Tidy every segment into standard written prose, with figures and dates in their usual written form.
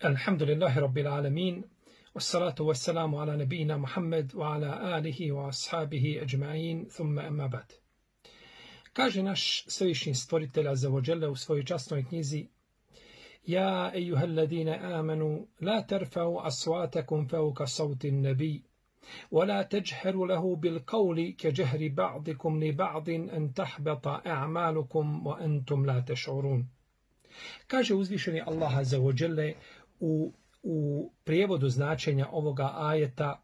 Alhamdulillahi Rabbil Alamin, wassalatu wassalamu ala nabijina Muhammed wa ala alihi wa ashabihi ajma'in, thumma amma ba'd. Kaže naš svevišnji stvoritelj Azza wa Jalla u svojoj časnoj knjizi: Ja ejuhalladine amanu, la terfa'u aswatakum fawqa sawti an-nabi, wa la tajharu lahu bil qawli ka jahri ba'dikum li ba'din an tahbata a'malukum wa antum la tash'urun. Kaže uzvišeni Allah Azza wa Jalla u prijevodu značenja ovoga ajeta: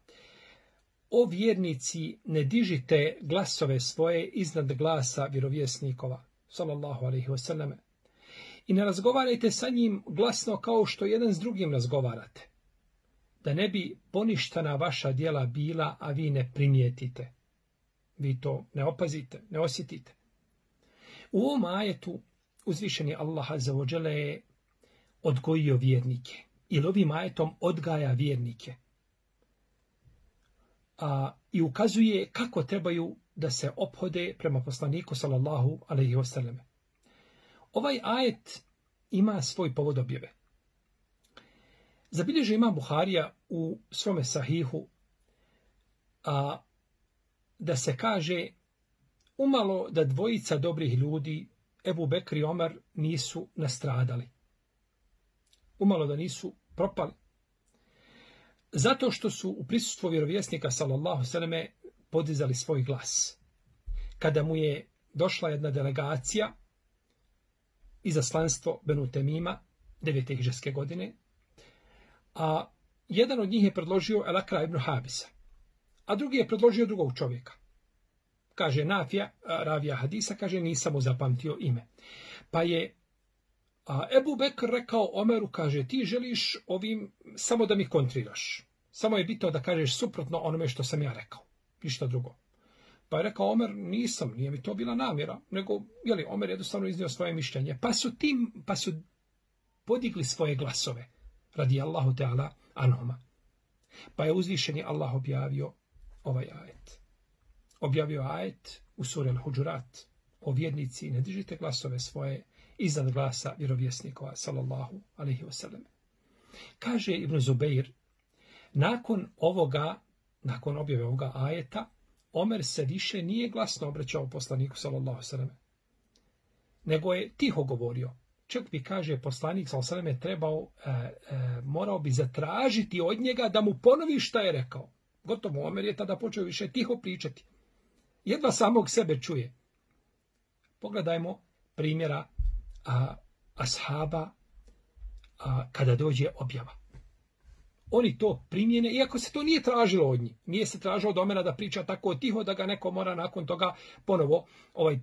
O vjernici, ne dižite glasove svoje iznad glasa vjerovjesnikova, sallallahu alejhi ve selleme, i ne razgovarajte sa njim glasno kao što jedan s drugim razgovarate, da ne bi poništana vaša djela bila, a vi ne primijetite. Vi to ne opazite, ne osjetite. U ovom ajetu uzvišeni Allah Azza wa Jalla je odgojio vjernike, ili ovim ajetom odgaja vjernike, i ukazuje kako trebaju da se ophode prema poslaniku sallallahu alejhi ve selleme. Ovaj ajet ima svoj povod objave. Zabilježio Imam Buharija u svome sahihu da se kaže: umalo da dvojica dobrih ljudi, Ebu Bekr i Omer, nisu nastradali. Umalo da nisu propali. Zato što su u prisustvu vjerovjesnika sallallahu selleme podizali svoj glas. Kada mu je došla jedna delegacija, izaslanstvo Benu Temima, 9. hidžrske godine, a jedan od njih je predložio El-Akra ibn Habisa, a drugi je predložio drugog čovjeka. Kaže Nafija, ravija hadisa, kaže nisam mu zapamtio ime. Pa je Ebu Bekr rekao Omeru, kaže, ti želiš ovim samo da mi kontriraš. Samo je bitno da kažeš suprotno onome što sam ja rekao. Ništa drugo. Pa je rekao Omer, nisam, nije mi to bila namjera, nego, Omer jednostavno iznio svoje mišljenje. Pa su podigli svoje glasove, radi Allahu Teala anhuma. Pa je uzvišeni Allah objavio ovaj ajet. Objavio ajet u suri Al-Huđurat: o vjernici, ne dižite glasove svoje iznad glasa vjerovjesnikova, sallallahu alejhi ve sellem. Kaže Ibn Zubeir, nakon objave ovoga ajeta, Omer se više nije glasno obraćao poslaniku, sallallahu alejhi ve sellem, nego je tiho govorio. Čak bi, kaže, poslanik, sallallahu alejhi ve sellem, morao bi zatražiti od njega da mu ponovi šta je rekao. Gotovo, Omer je tada počeo više tiho pričati. Jedva samog sebe čuje. Pogledajmo primjera ashaba kada dođe objava. Oni to primjene, iako se to nije tražilo od njih. Nije se tražilo od Omera da priča tako tiho da ga neko mora nakon toga ponovo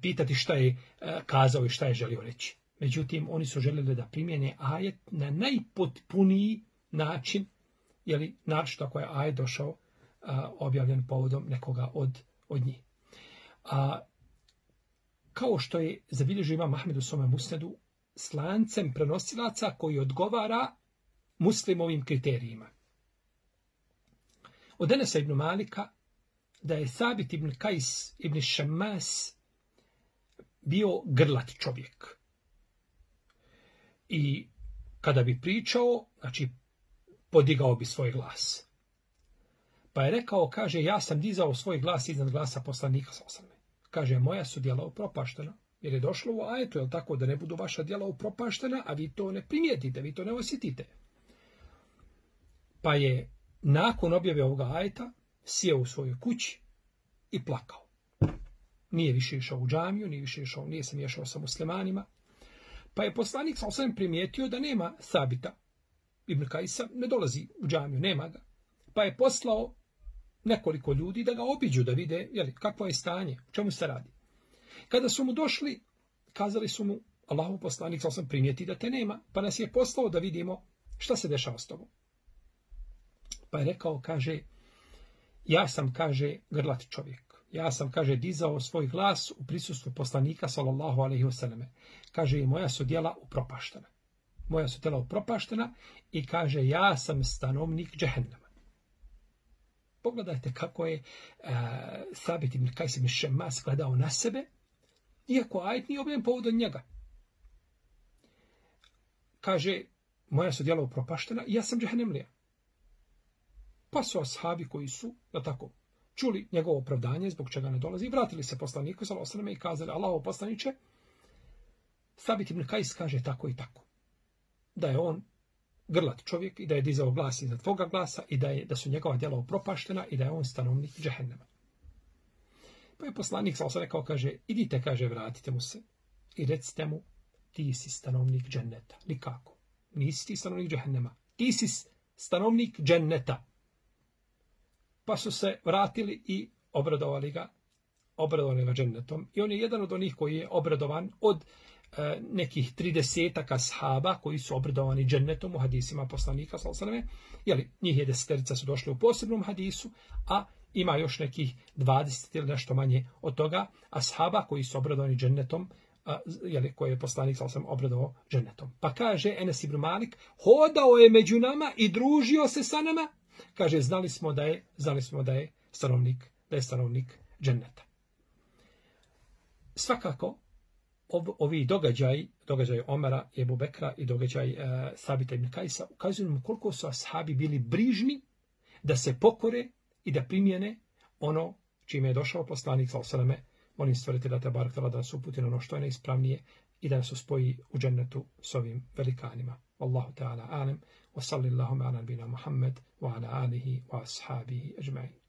pitati šta je kazao i šta je želio reći. Međutim, oni su željeli da primjene ajet na najpotpuniji način, naročito ako je ajet došao objavljen povodom nekoga od njih. Kao što je zabilježio Imam Ahmed u svome musnedu s lancem prenosilaca koji odgovara muslimovim kriterijima. Od Enesa ibn Malika da je Sabit ibn Kajs ibn Šammas bio grlat čovjek. I kada bi pričao, podigao bi svoj glas. Pa je rekao, kaže, ja sam dizao svoj glas iznad glasa poslanika sallallahu alejhi ve sellem. Kaže, moja su djela upropaštena, jer je došlo u ajetu, tako, da ne budu vaša djela upropaštena, a vi to ne primijetite, vi to ne osjetite. Pa je nakon objave ovoga ajeta sjeo u svojoj kući i plakao. Nije više išao u džamiju, nije se miješao sa muslimanima. Pa je poslanik sallallahu alejhi ve sellem primijetio da nema Sabita ibn Kajsa, ne dolazi u džamiju, nema ga. Pa je poslao nekoliko ljudi da ga obiđu, da vide kakvo je stanje, o čemu se radi. Kada su mu došli, kazali su mu: Allahov poslanik sallallahu alejhi ve sellem primijeti da te nema, pa nas je poslao da vidimo šta se dešava s tobom. Pa je rekao, kaže, ja sam, kaže, grlat čovjek. Ja sam, kaže, dizao svoj glas u prisustvu poslanika, sallallahu alejhi ve selleme. Kaže, i moja su djela upropaštena. Moja su djela upropaštena i kaže, ja sam stanovnik džehennema. Pogledajte kako je Sabit ibn Kajs ibn Šemmas gledao na sebe, iako ajet nije objavljen povodom njega. Kaže, moja su djela upropaštena i ja sam džehennemlija. Pa su ashabi koji su, da tako, čuli njegovo opravdanje zbog čega ne dolazi i vratili se poslaniku sallallahu alejhi ve selleme i kazali: Allahov poslaniče, Sabit ibn Kajs kaže tako i tako. Da je on grlat čovjek i da je dizao glas iznad tvoga glasa i da su njegova djela upropaštena i da je on stanovnik džehennema. Pa je poslanik sallallahu alejhi ve selleme rekao, kaže: idite, kaže, vratite mu se i recite mu: ti si stanovnik dženneta. Nikako. Nisi ti stanovnik džehennema. Ti si stanovnik dženneta. Pa su se vratili i obradovali ga džennetom. I on je jedan od onih koji je obradovan od nekih 30 ashaba koji su obradovani džennetom u hadisima poslanika sallallahu alejhi ve selleme. Jeli, njih je 10 su došli u posebnom hadisu, a ima još nekih 20 ili nešto manje od toga ashaba koji su obradovani džennetom, koje je poslanik sallallahu alejhi ve sellem obradovao džennetom. Pa kaže Enes ibn Malik: hodao je među nama i družio se sa nama. Kaže, znali smo da je stanovnik dženneta. Svakako, ovi događaj Omara i Ebu Bekra i događaj Sabita ibn Kajsa ukazuju nam koliko su ashabi bili brižni da se pokore i da primjene ono čime je došao poslanik sallallahu alejhi ve selleme. Molim Stvoritelja te barek da nas uputi na ono što je najispravnije i da nas uspoji u džennetu s ovim velikanima. Wallahu ta'ala alim, wa sallallahu ala nabina Muhammad wa ala alihi wa ashabihi ajma'in.